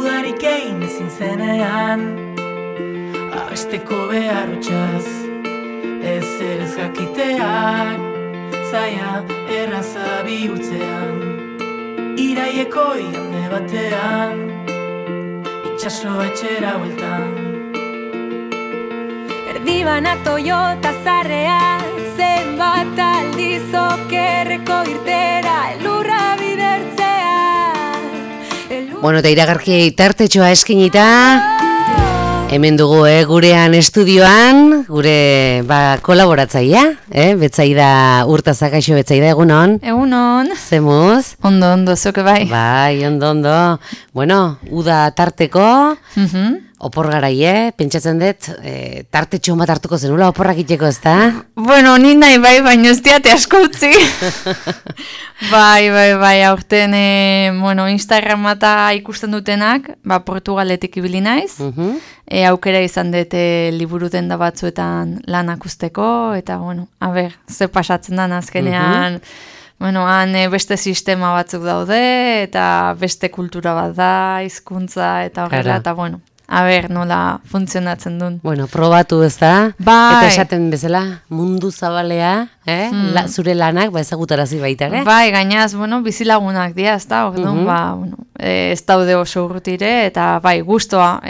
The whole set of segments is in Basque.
dudarik egin ezin zenean, abesteko beharrotxaz, ez jakiteak, zaia erraza bihurtzean, iraieko igande batean, itxaso etxera bueltan. Erdibana Toyota zarrea, zenbat aldiz okerreko irtera, elurra bidertzea. Bueno, eta iragarki tartetxoa eskinita, hemen dugu gurean estudioan, gure kolaboratzaia, Betsaida Urtazak, aixo Betsaida, egunon? Egunon. Zemuz? Ondo, zoke bai. Bai, ondo. Bueno, uda tarteko, opor garai, pentsatzen dut, tartetxo bat hartuko zenula oporrak itxeko, ez da? Bueno, ni nahi bai, baina ez diate asko utzi. Bai, aurten, Instagramata ikusten dutenak, Portugaletik ibili naiz, aukera izan dut liburu denda batzuetan lanak usteko, eta, ze pasatzen da azkenean, han beste sistema batzuk daude, eta beste kultura bat da, hizkuntza eta horrela, eta, nola funtzionatzen duen. Probatu ez da, bai. Eta esaten bezala, mundu zabalea, zure lanak, ezagutarazi baita, Bai, gainaz, bizilagunak dira, ez da, ez daude oso urrutire, eta bai, gustoa,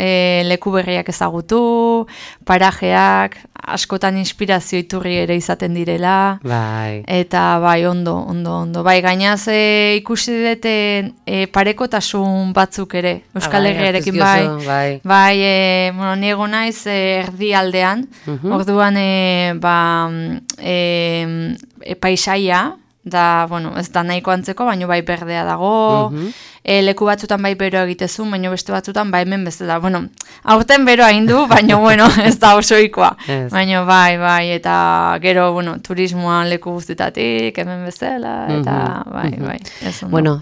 leku berriak ezagutu, parajeak, askotan inspirazio iturri ere izaten direla, bai. Eta bai, ondo. Bai, gainaz, ikusi dute parekotasun batzuk ere, Euskal Herriarekin bai. Bai, niego naiz erdialdean, orduan paisaia, da, ez da nahiko antzeko, baina bai berdea dago, leku batzutan bai bero egitezun, baina beste batzutan bai hemen bezala. Aurten bero hain du, baina ez da osoikoa. Baina bai, eta gero, turismoan leku guztitatik, hemen bezala, eta bai.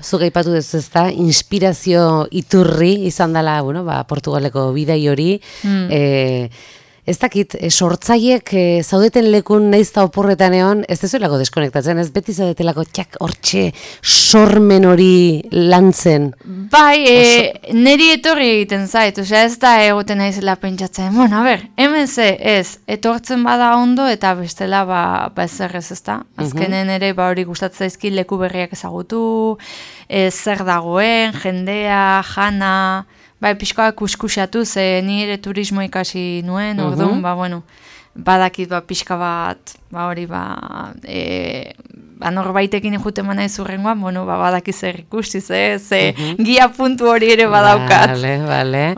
Zuk aipatu duzu ez da, inspirazio iturri izan dela, Portugaleko bidai hori, ez dakit, sortzaiek zaudeten lekun naizta oporretan egon, ez dezuelako deskonektatzen, ez beti zaudetelako hortxe sormen hori lantzen. Bai, niri etorri egiten zait, ez da egoten naizela pentsatzen, hemen ez, etortzen bada ondo eta bestela ezer ez da. Azkenen ere hori gustatzen zaizki leku berriak ezagutu, zer dagoen, jendea, jana. Bai, pixkoa kuskusatu, ni ere turismo ikasi nuen, orduan, badakit pixka bat, hori, norbaitekin juten manaiz urrengoan, badaki zer ikusi, ze gia puntu hori ere badaukat. Bale.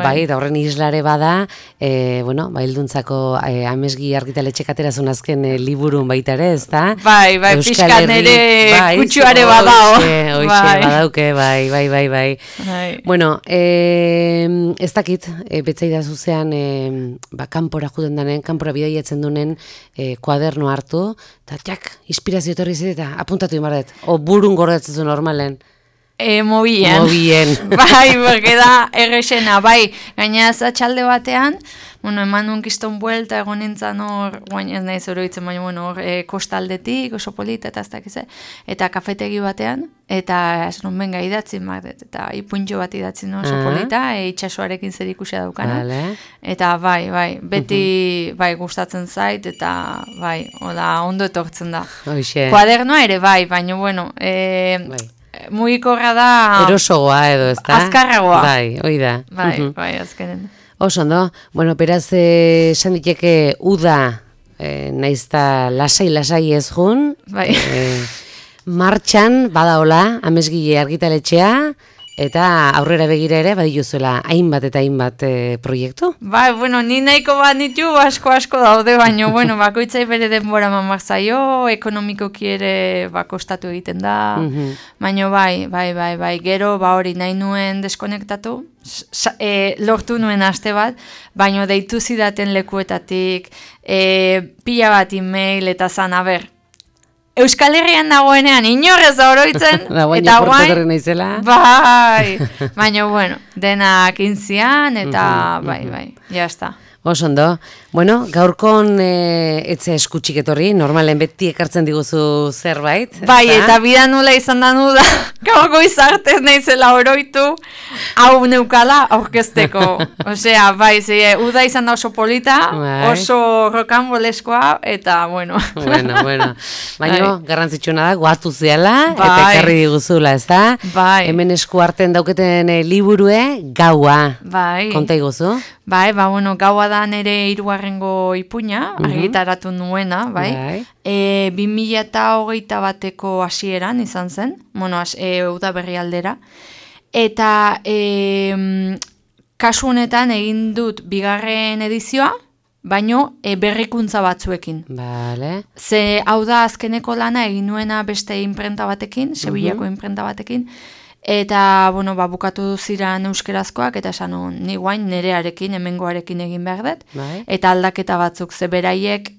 Bai, eta horren islare bada, hilduntzako amesgi argitaletxek aterazun azken liburun baita ere, ez da? Bai, pixkan ere kutsuare badao. Hoxe, badauke, bai. Bueno, ez dakit, Betsaida zuzean, kanpora juten danen, kanpora bidaiatzen dunen kuaderno hartu, eta inspirazio etorri zeta apuntatu imarret, o burun gordatzen normalen. Mobien. Bai, bergeda errexena, bai, gainaz atxalde batean, eman nuen kiston buelta egon nintzen hor, ez nahi zoroitzen, baina kostaldetik, oso polita, eta ez dakize, eta kafetegi batean, eta ez nuen benga idatzi, eta ipuntxo bat idatzi oso polita, itxasoarekin zer ikusia daukana, eta bai, beti gustatzen zait, eta bai, ondo etortzen da. Kuadernoa ere bai, baina mugikorra da... Erosogoa edo, ez da? Azkarragoa. Bai, hoi da. Bai, azkenen. Oso, ondo. Beraz, esan diteke uda, naizta lasai ez jun. Bai. Martxan, badaola, amesgile argitaletxea, eta aurrera begira ere, badiuzuela hainbat eta hainbat proiektu? Bai, ni nahiko bat nitu asko daude, baina, bakoitzai bere denbora mamak zaio, ekonomikoki ere kostatu egiten da, baina bai, gero hori nahi nuen deskonektatu, lortu nuen aste bat, baina deitu zidaten lekuetatik, pila bat email eta zan, Euskal Herrian dagoenean inorrez da oroitzen, eta guain, bai, baina, denak intzian, eta bai, jazta. Osondo. Bueno, gaurkon etze eskutxik etorri, normalen beti ekartzen diguzu zerbait. Bai, eta bida nula izan da nuda, gaurko izartez naizela oroitu, hau neukala aurkezteko. Osea, bai, uda izan da oso polita, oso rokanboleskoa, eta bueno. Bueno. Baina, garrantzitsuna da, guatu zeala, eta ekarri diguzula, ez da? Bai. Hemen esku arten dauketen liburue, Gaua. Bai. Konta iguzu? Bai, bueno, Gaua da nere 3. ipuina, argitaratu nuena, bai. 2021ko hasieran izan zen, bueno, uda berri aldera. Eta kasu honetan egin dut 2. edizioa, baino berrikuntza batzuekin. Vale. Ze hau da azkeneko lana egin nuena beste imprenta batekin, Sevillako imprenta batekin, eta, bueno, bukatu ziren euskerazkoak, eta esan ni guain nerearekin, hemengoarekin egin behar dut, eta aldaketa batzuk, ze beraiek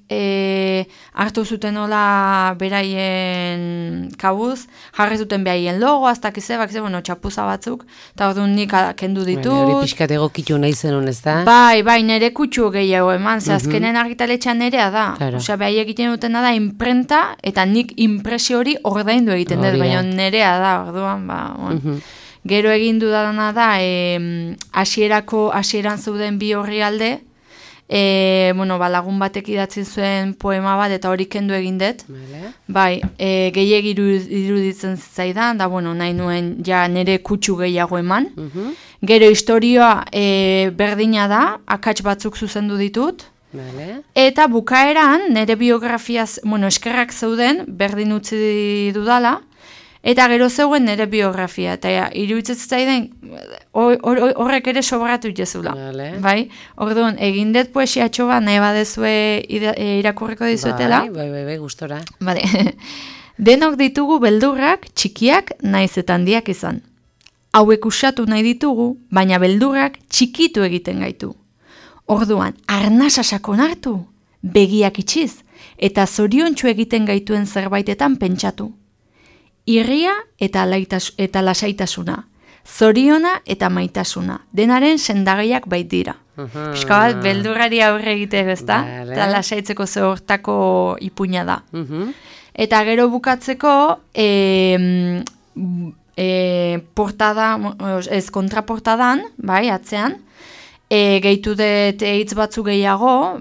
hartu zuten nola beraien kabuz, jarri zuten behaien logo, aztakizebak, bueno, txapuza batzuk, eta orduan nik kendu ditut. Hori pixkat egokitu nahi zenun, ez da? Bai, nere kutsu gehiago eman, ze azkenen argitaletxean nerea da. Osea, behaiek egiten dutena da imprenta, eta nik impresio hori ordaindu egiten dut, baina nerea da, orduan, Gero egin dudana da, hasieran zeuden 2 orrialde, lagun batek idatzi zuen poema bat, eta hori kendu egin dut. Bai, gehiegi iruditzen zaidan, da, nahi nuen ja nire kutsu gehiago eman. Gero historioa berdina da, akats batzuk zuzendu ditut. Eta bukaeran, nire biografiaz, eskerrak zeuden, berdin utzi dudala, eta gero zeuen nire biografia, eta iruditzen zaidan horrek ere sobratu jezula. Bai, orduan, egin dut poesiatxo bat, nahi badezue irakurriko dizuetela. Bai, gustora. Denok ditugu beldurrak, txikiak, naiz eta handiak izan. Hauek usatu nahi ditugu, baina beldurrak txikitu egiten gaitu. Orduan, arnasa sakon hartu, begiak itxiz, eta zoriontsu egiten gaituen zerbaitetan pentsatu. Irria eta lasaitasuna, zoriona eta maitasuna, denaren sendagaiak bait dira. Piska bat, beldurrari aurre egiteko, ezta? Eta lasaitzeko zehortako ipuina da. Eta gero bukatzeko, kontraportadan, bai, atzean, gehitu dut hitz batzu gehiago,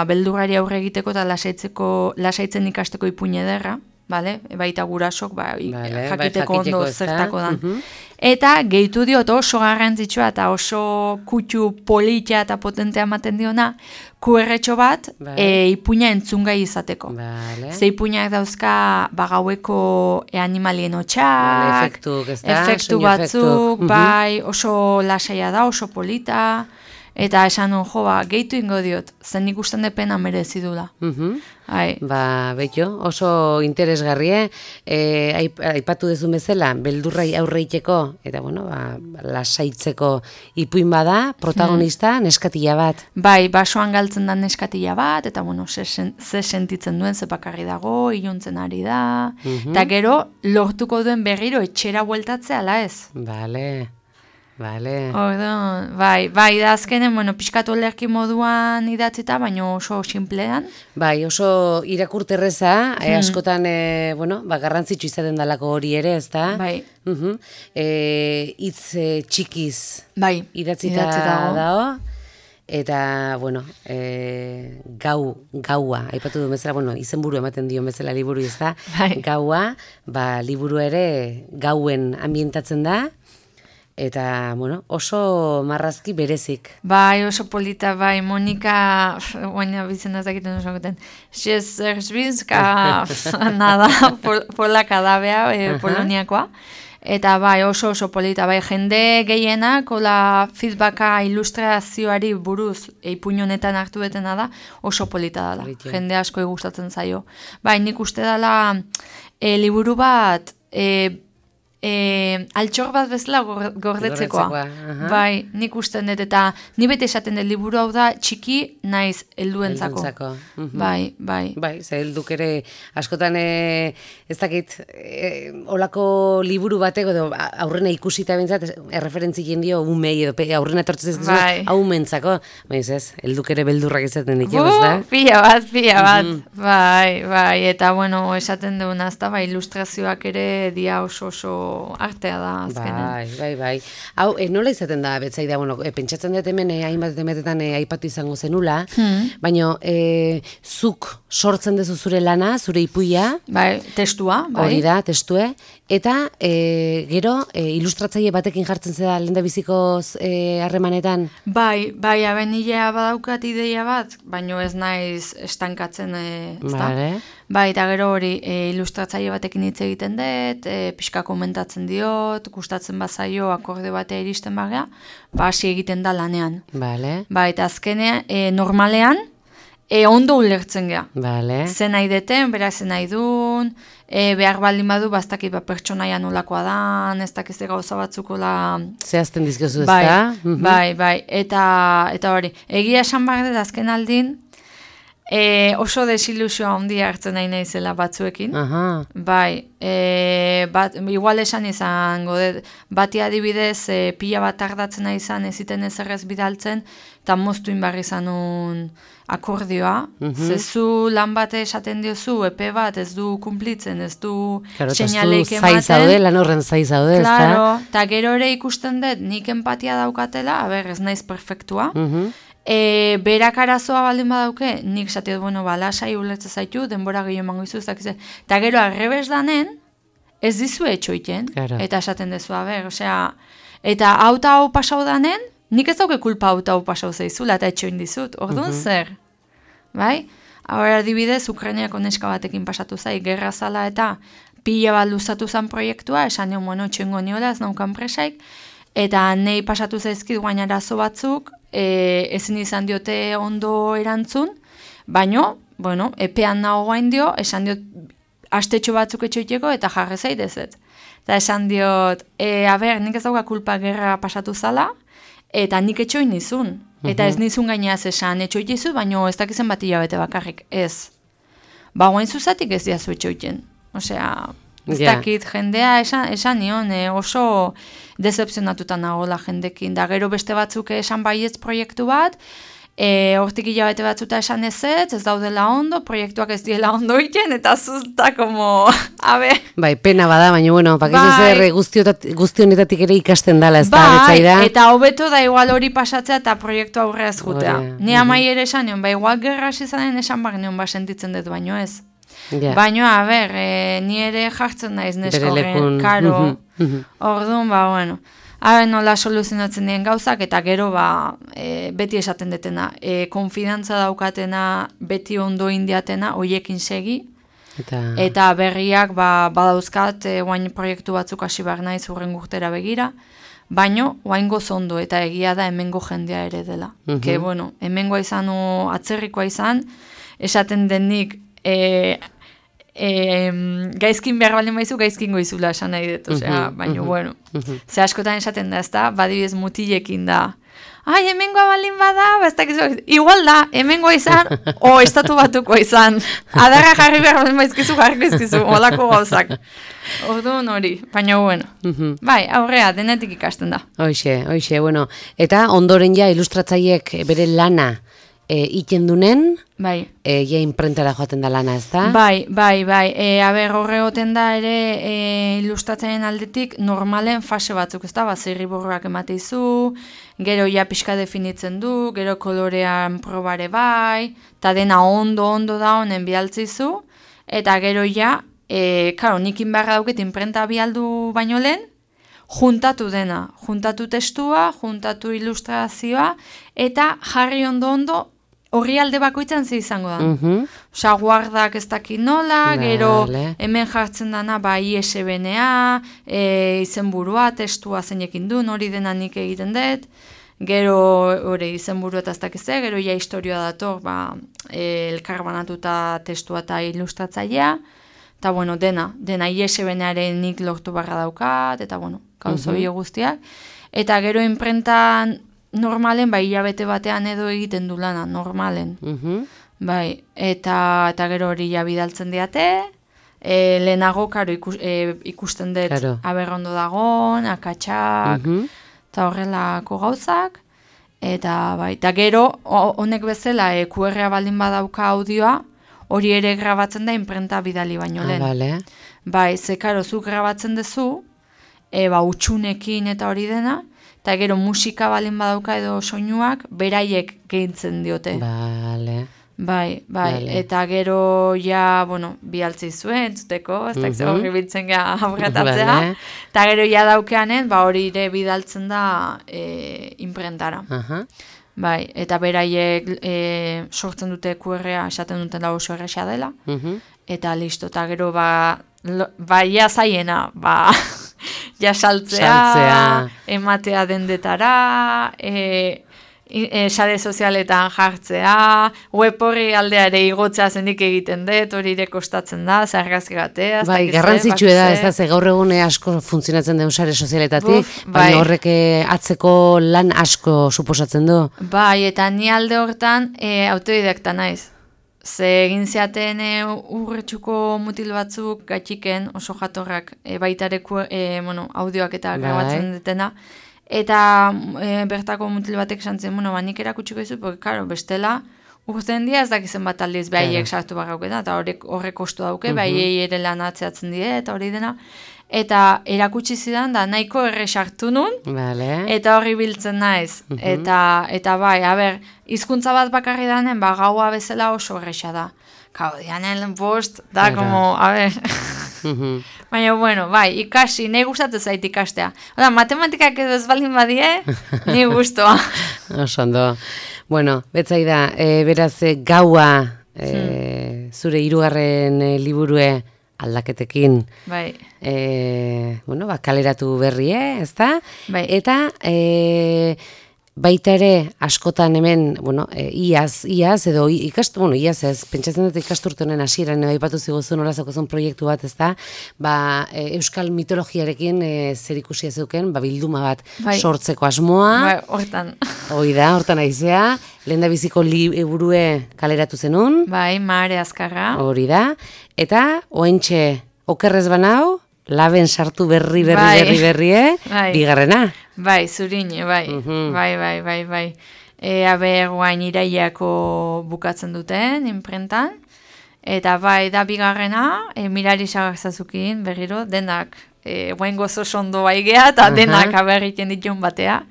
beldurrari aurre egiteko eta lasaitzen ikasteko ipuina ederra. Baita gurasok, jakiteko ondo zertako dan. Eta gehitu diot oso garrantzitsua eta oso kutsu politia eta potentea ematen diona, QR-txo bat ipuina entzungai izateko. Ze ipuinak dauzka gaueko animalien hotxak, efektu batzuk, oso lasaia da, oso polita, eta esan gehitu ingo diot, zen ikusten depena merezidula. Betxo, oso interesgarrie, aipatu dezun bezala, beldurrai aurreiteko, eta lasaitzeko ipuin bada, protagonista neskatila bat. Bai, basoan galtzen da neskatila bat, eta ze sentitzen duen, ze bakarri dago, iluntzen ari da, eta gero lortuko duen berriro etxera bueltatzea, ala ez? Orduan, bai, da azkenen, pixkatu olerki moduan idatzita, baina oso sinplean. Bai, oso irakurterreza, askotan, garrantzitsu izaten dalako hori ere, ez da? Bai. Hitz txikiz idatzita dago. Eta, gaua, aipatu du bezala, izenburu ematen dio bezala liburu, ez da? Gaua, liburu ere gauen ambientatzen da. Eta, oso marrazki berezik. Bai, oso polita, Monika, baina bizena zakiten oso goten, Szewczynska, nada, polaka da bea, poloniakoa. Eta oso polita, jende gehienak, feedbacka ilustrazioari buruz ipuinonetan hartu betena da, oso polita dela. Jende asko gustatzen zaio. Nik uste dela liburu bat, altxor bat bezala gordetzekoa. Bai, nik usten dut, eta ni bete esaten dut liburu hau da txiki naiz helduentzako. Bai. Bai, ze helduk ere askotan ez dakit olako liburu batek edo aurrena ikusita bintzat erreferentzien dio umei edo aurrena etortzen ez hau mentzako. Bai, ez, helduk ere beldurrak izaten ditu, ez da? Pila bat. Bai, eta bueno, esaten duguna, ez da, bai, ilustrazioak ere dia oso artea da azkenen. Bai. Hau, nola izaten da, betzai da, bueno, pentsatzen dut hemen hainbat emetetan aipatu izango zenula, baina zuk sortzen dezu zure lana, zure ipuia. Bai, testua. Bai. Hori da, testue. Eta gero, ilustratzaile batekin jartzen zeda lendabizikoz harremanetan? Bai, abenilea badaukat ideia bat, baina ez naiz estankatzen, Bai, eta gero hori ilustratzaile batekin hitz egiten dut, pixka komentatzen diot, gustatzen bazaio akorde batea iristen bagea, hasi egiten da lanean. Bai, eta azkenean, normalean, ondo ulertzen gea. Zen nahi deten, berak zen nahi duen, behar baldin badu, bastakit pertsonaia nolakoa dan, ez dakiz gauza batzukola... Zehazten dizkiozu ez da? Bai, eta hori, egia esan behar dut azken aldin, oso desilusioa handia hartzen nahi naizela batzuekin. Bai, igual esan izango, bati adibidez pila bat tardatzen nahi izan, eziten ezerrez bidaltzen, eta moztu inbarri zanun akordioa. Zezu lan bat esaten diozu, epe bat ez du kumplitzen, ez du seinaleik ematen. Lan horren zaizaude, ez da? Claro, eta gero ere ikusten dut, nik empatia daukatela, ez naiz perfektua, berak arazoa baldin badauke, nik esate dut, lasai ulertza zaitu, denbora gehiago emango izu, eta gero arrebes danen, ez dizu etxoiten, eta esaten dezu, eta hau pasau danen, nik ez dauke kulpa hau pasau zaizula, eta etxoin dizut, orduan zer? Bai? Hau adibidez, Ukrainiako neska batekin pasatu zai, gerra zala eta pila bat luzatu zan proiektua, esan nion, txengo niola, ez naukan presaik, eta nahi pasatu zaizkit guain arazo batzuk, ezin izan diote ondo erantzun, baino, epean nago guain dio, esan diot astetxo batzuk etxoiteko eta jarre zaitezet. Eta esan diot, nik ez dauka kulpa gerra pasatu zala, eta nik etxoin nizun. Eta ez nizun gaineaz esan etxoitizu, baino ez dakizen bat hilabete bakarrik, ez. Guain zuzatik ez diazu etxoiten. Osea, ez dakit jendea esan nion, oso decepzionatuta nagola jendekin. Da gero beste batzuk esan baietz proiektu bat, hortik hilabete batzuta esan ez daudela ondo, proiektuak ez diela ondo iten, eta zuzta, Bai, pena bada, baina, pakizu zer guztionetatik ere ikasten dala, ez da, betzaida? Eta hobeto da igual hori pasatzea eta proiektu aurreaz jutea. Ni amai ere esan nion, igual gerra zizanen esan bak nion, sentitzen dut, baino ez. Baina, ni ere jartzen naiz neskoren, karo, orduan, nola soluzionatzen dien gauzak, eta gero beti esaten detena, konfidantza daukatena, beti ondo indiatena, hoiekin segi, eta berriak badauzkat, guain proiektu batzuk hasi behar naiz urren urtera begira, baino, guain gozondo, eta egia da hemengo jendea ere dela. Hemengoa izan, atzerrikoa izan, esaten denik, gaizkin behar baldin baizu, gaizkin goizula esan nahi dut, baina, ze askotan esaten da, ez da, badibidez mutilekin da, hemengoa baldin bada, igual da, hemengoa izan, estatu batuko izan, adarra jarri behar baldin baizkizu, jarriko izkizu, olako gauzak. Orduan hori, baina, bai, aurrea, denetik ikasten da. Hoxe, eta ondoren ja ilustratzaiek bere lana ikendunen, ja imprentara joaten da lana, ez da? Bai, horregoten da ere ilustratzen aldetik normalen fase batzuk, ez da? Zirriborroak emateizu, gero ja pixka definitzen du, gero kolorean probare bai, eta dena ondo da honen bialtzizu, eta gero ja, nikin beharra dauket imprenta bialdu baino lehen, juntatu dena, juntatu testua, juntatu ilustrazioa, eta jarri ondo horri alde bakoitzan ze izango da. Osa, guardak ez dakit nola, gero hemen jartzen dana ISBN-a, izenburua, testua zeinekin duen, hori dena nik egiten dut, gero hori izenburua eta ez dakit ze, gero ja historioa dator, elkarbanatuta testua eta ilustratzailea, eta bueno, dena ISBN-aren nik lortu barra daukat, eta bueno, gauza guztiak. Eta gero imprentan normalen, bai, hilabete batean edo egiten du lana, normalen. Bai, eta gero hori ja bidaltzen diate, lehenago, karo, ikusten dut aberrondo dagon, akatsak, eta horrelako gauzak, eta bai, eta gero, honek bezala, QR-a baldin badauka audioa, hori ere grabatzen da imprenta bidali baino lehen. Vale. Bai, ze karo, zu grabatzen duzu, utxunekin eta hori dena, eta gero musika baldin badauka edo soinuak, beraiek gehitzen diote. Vale. Bai, eta gero ja, bueno, bialtzi zuen, entzuteko, ez da horri biltzen gara aurretatzea, eta gero ja daukeanen, hori ere bidaltzen da imprentara. Bai, eta beraiek sortzen dute QR-a, esaten duten da oso erresa dela, eta listo, eta gero ja zaiena, ja saltzea, ematea dendetara, sare sozialetan jartzea, web horri aldeare igotzea zendik egiten dut, hori ere kostatzen da, zargazki batea. Bai, garrantzitsu da, ez da, ze gaur egun asko funtzionatzen den sare sozialetatik, baina horrek atzeko lan asko suposatzen du. Bai, eta ni alde hortan autodidakta naiz. Ze egin zeaten urretxuko mutil batzuk gatxiken oso jatorrak baitareko audioak eta grabatzen dutena. Eta bertako mutil batek santzen, nik erakutsiko izu, porque, karo, bestela, urten dia ez dakizen bat aldiz behaiek sartu barrauketa, eta horrek kostu dauke, behaiei ere lan atzeatzen die, eta hori dena. Eta erakutsi zidan, da nahiko erre sartu nun, eta horri biltzen naiz. Eta bai, hizkuntza bat bakarri danen, gaua bezala oso erresa da. Kau, dianen bost, da, como, baina, bueno, bai, ikasi, nahi gustatzen zait ikastea. Oda, matematikak edo ez baldin badie, nahi gustoa. Osondo. Bueno, betzai da, beraz, gaua, zure 3. liburue aldaketekin. Bai. Kaleratu berrie, ez da? Bai. Eta, baita ere, askotan hemen, iaz, edo iaz ez, pentsatzen dut ikasturtenen hasieran aipatu ziguzun olazakozun proiektu bat, ez da, euskal mitologiarekin zer ikusia zeuken, bilduma bat sortzeko asmoa. Bai, hortan. Hortan aizea, lehen da biziko liburue kaleratu zenun. Bai, Mare Azkarra. Hori da, eta oentxe, okerrez banau, laben sartu berri, bigarrena. Bai, Zurine, bai. Bai. Guain iraiako bukatzen duten, imprentan. Eta bai, da bigarrena, Mirari Sagarzazukin berriro, denak, guain gozo sondo baigea, eta denak aberriken ditun batea,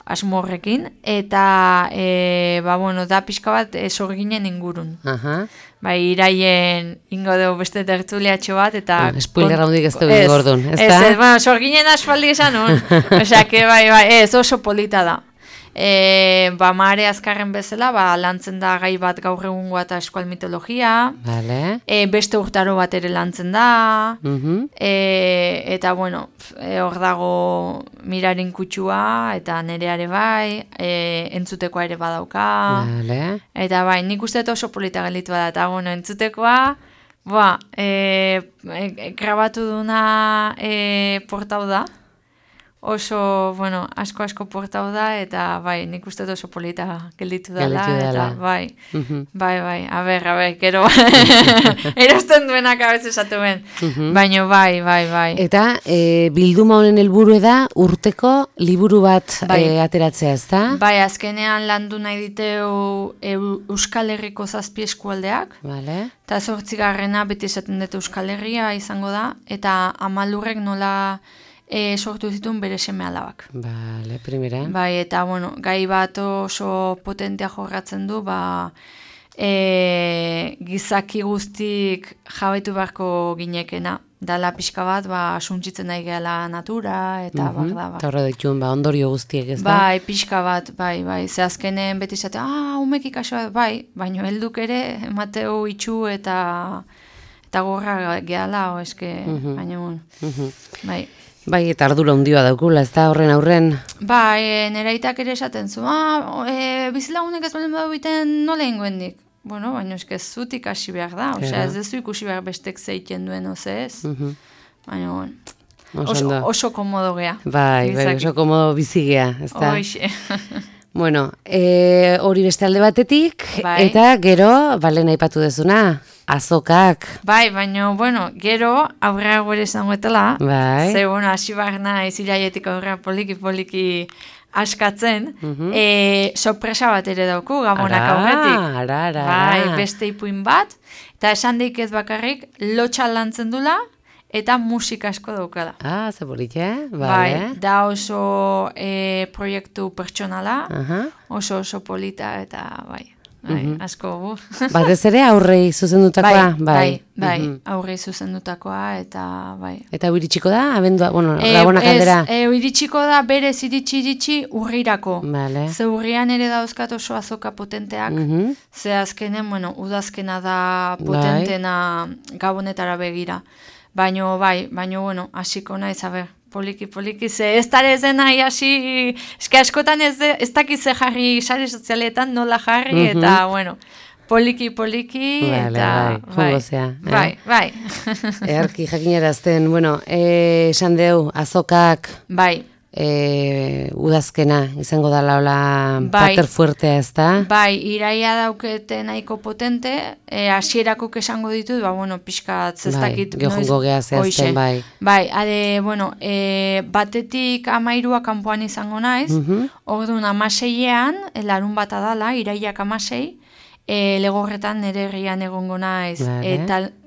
asmorrekin. Eta, da pixka bat sorginen ingurun. Bai, iraien ingo dugu beste tertuliatxo bat, eta... Spoiler handik ez dugu gordun, ez da? Ez, sorginen aspaldi esan nun. Osea, bai, ez oso polita da. Mare Azkarren bezala, lantzen da gai bat gaur egungoa eta eskual mitologia. Vale. Beste urtaro bat ere lantzen da. Eta, hor dago Mirarin kutsua, eta nereare bai, entzutekoa ere badauka. Vale. Eta bai, nik uste oso polita galitu da, eta entzutekoa, grabatu duna portau da. Oso, asko portau da, eta bai, nik uste oso polita gelditu dela, eta bai, gero, erosten duenak abez esatu ben, baina bai. Eta bilduma honen helburu da urteko liburu bat ateratzea, ez da? Bai, azkenean landu nahi diteu Euskal Herriko 7 eskualdeak, eta 8. beti esaten dut Euskal Herria izango da, eta Amalurrek nola... sortu zituen bere seme alabak. Bale, primera. Bai, eta, gai bat oso potentea jorratzen du, gizaki guztik jabaitu beharko ginekena. Dala pixka bat, suntsitzen nahi gehala natura, eta Eta horra dituen, ondorio guztiek, ez da? Bai, pixka bat, bai. Ze azkenen beti zate, umek ikasoa, bai, baino helduk ere, emateu itxu eta gorra gehala, baino, bai. Bai, eta ardura hundioa daukula, ez da horren aurren? Bai, neraitak ere esaten zu, bizilagunek ez balen badu biten nola ingoendik. bueno, baina eske zut ikasi behar da, osea, ez dezu ikusi behar bestek zeiten duen, oze ez? Baina, bueno, oso komodo gea. Bai, oso komodo bizigea, ez da? Hoxe. Bueno, hori beste alde batetik, eta gero, balen aipatu dezuna, azokak. Bai, baina, bueno, gero, aurrera gore zangoetela, ze, bueno, hasi barna iziraietik aurrera poliki askatzen, sorpresa bat ere dauku, gamonak aurretik. Bai, beste ipuin bat, eta esan deik ez bakarrik, lotxa lantzen dula, eta musika asko daukala. Ze polite, bai. Da oso proiektu pertsonala, oso polita, eta bai, asko. Batez ere aurrei zuzendutakoa? Bai, aurrei zuzendutakoa, eta bai. Eta iritsiko da, abendua, bueno, Gabonak aldera? Iritsiko da, berez iritsi urrirako. Ze urrian ere dauzkat oso azoka potenteak, ze azkenen, bueno, udazkena da potentena Gabonetara begira. Baina, bueno, hasiko naiz, poliki, ze ez dara ezen nahi hasi, eske askotan ez dakize jarri sare sozialetan nola jarri, eta, bueno, poliki, eta, bai. Earki jakinarazten, bueno, esan deu, azokak, bai, udazkena izango da laula pater fuertea, ez da? Bai, iraia daukete nahiko potente, hasierakok esango ditut, bueno, pixkat zestakit. Geojongo geha zehazten, bai. Bai, bueno, batetik 13 kanpoan izango naiz, orduan 16ean, larun bat adala, iraiak 16, legorretan nire herrian egongo naiz,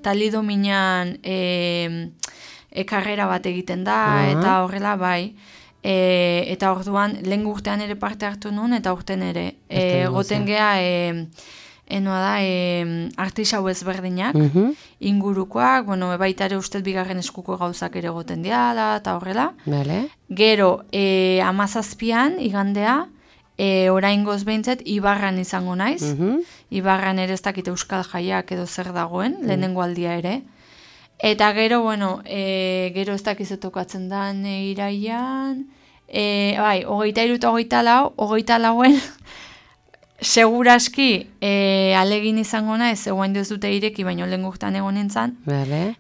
talido minan karrera bat egiten da, eta horrela, bai. Eta orduan, lehen urtean ere parte hartu nuen, eta urten ere. Goten geha, enoa da, artisau ezberdinak, ingurukoak, bueno, baita ere ustez bigarren eskuko gauzak ere goten diala, eta horrela. Gero, 17an, igandea, oraingoz behintzet, Ibarran izango naiz. Ibarran ere ez dakit euskal jaiak edo zer dagoen, lehenengo aldia ere. Eta gero, bueno, gero ez dakizetokatzen dan iraian, bai, 23 eta 24en, seguraski alegin izango naiz, egoen ez dute ireki, baino lehen gurtan egon nintzen.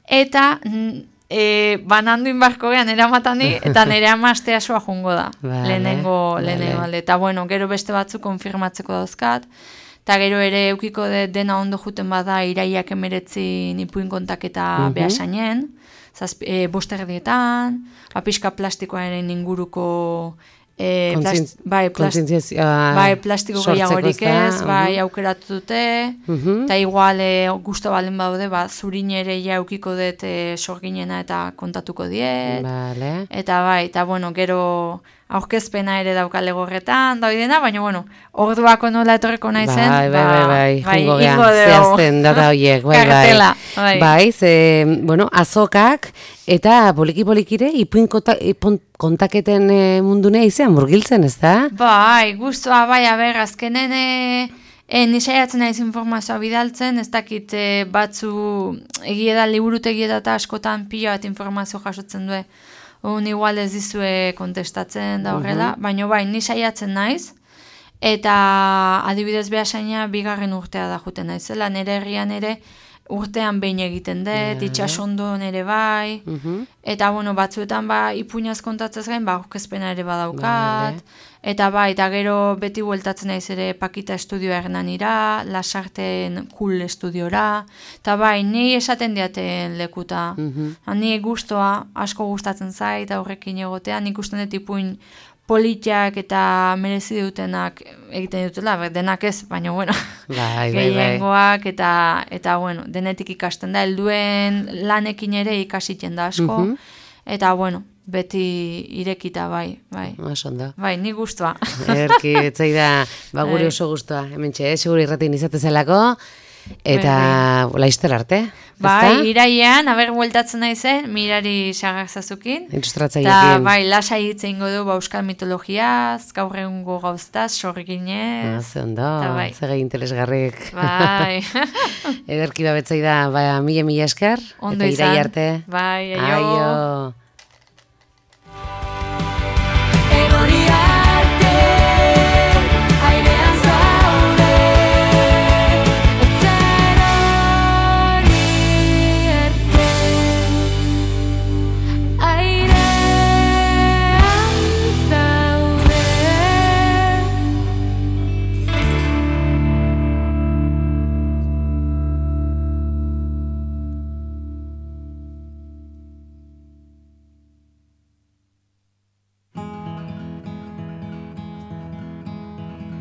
Eta banandu inbarko gehan eramatani, eta nire amazte asua jungo da, lehenengo alde. Eta bueno, gero beste batzuk konfirmatzeko dauzkat, eta gero ere eukiko dena ondo juten bada iraiak 19 ipuin kontaketa behasainen, bosterdietan, pixka plastikoaren inguruko plastiko gehiagorik ez, aukeratu dute, eta igual gusto balen baude, zurin ere eukiko dut sorginena eta kontatuko diet, eta bueno, gero aurkezpena ere daukale gorretan, daudena, baina, bueno, orduako nola etorreko nahi zen. Jungo geha, zehazten data horiek, bai, bueno, azokak, eta poliki-polikire, ipuin kontaketen mundunea izan, murgiltzen, ez da? Bai, guztua, azkenen nisaiatzen naiz informazioa bidaltzen, ez dakit batzu egieda, liburutegieda eta askotan pila bat informazio jasotzen du. Igual ez dizue kontestatzen da horrela, baina bai, ni saiatzen naiz, eta adibidez behasaina bigarren urtea da juten naizela, nire herrian ere urtean behin egiten dut, itxasondo nire bai, eta bueno, batzuetan ipuinaz kontatzez gain, aurkezpena ere badaukat, eta bai, eta gero beti bueltatzen naiz ere Pakita estudioa Hernanira, Lasarten Cool estudiora, eta bai, ni esaten diaten lekuta, ni gustoa, asko gustatzen zait, aurrekin egotean, nik usten dut ipuin politiak eta merezi dutenak egiten dutela, denak ez, baina bueno, gehiengoak eta bueno, denetik ikasten da, helduen lanekin ere ikasiten da asko, eta bueno, beti irekita, bai. Osondo. Bai, ni guztua. Erki, etzai da, gure oso guztua, hementxe, seguro irratin izatezelako, eta laizter arte. Bai, iraian, bueltatzen naizen, mirari sagak zazukin. Ilustratzaiekin. Eta bai, lasai hitz eingo du euskal mitologiaz, gaur egungo gauztaz, sorginez. Ze ondo, zege interesgarrik. Bai. Ederki babetzai da, mila esker. Ondo izan. Eta irai arte. Bai, aio.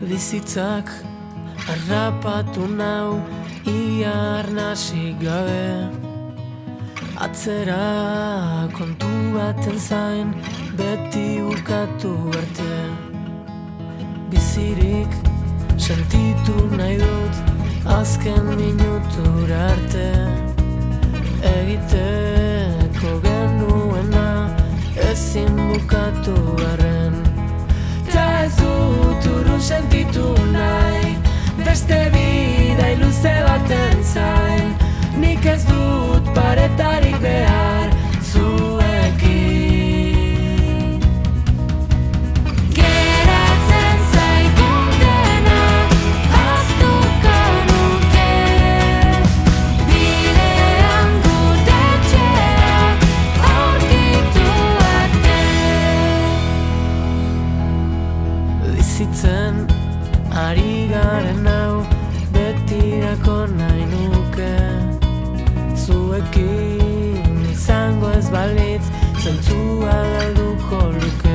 Bizitzak harrapatu nau ia arnasik gabe. Atzera kontu baten zain beti ukatu arte. Bizirik sentitu nahi dut azken minutura arte. Egiteko genuena ezin bukatu garren. Ta ez dut urrun sentitu nahi beste bidai luze baten zain. Nik ez dut paretarik behar zuekin. Geratzen zaitun dena ahaztuko nuke. Bidean gure etxea aurkitu arte. Bizitzen ari garen hau betirako nahi nuke. Zuekin izango ez balitz zentzua galduko luke.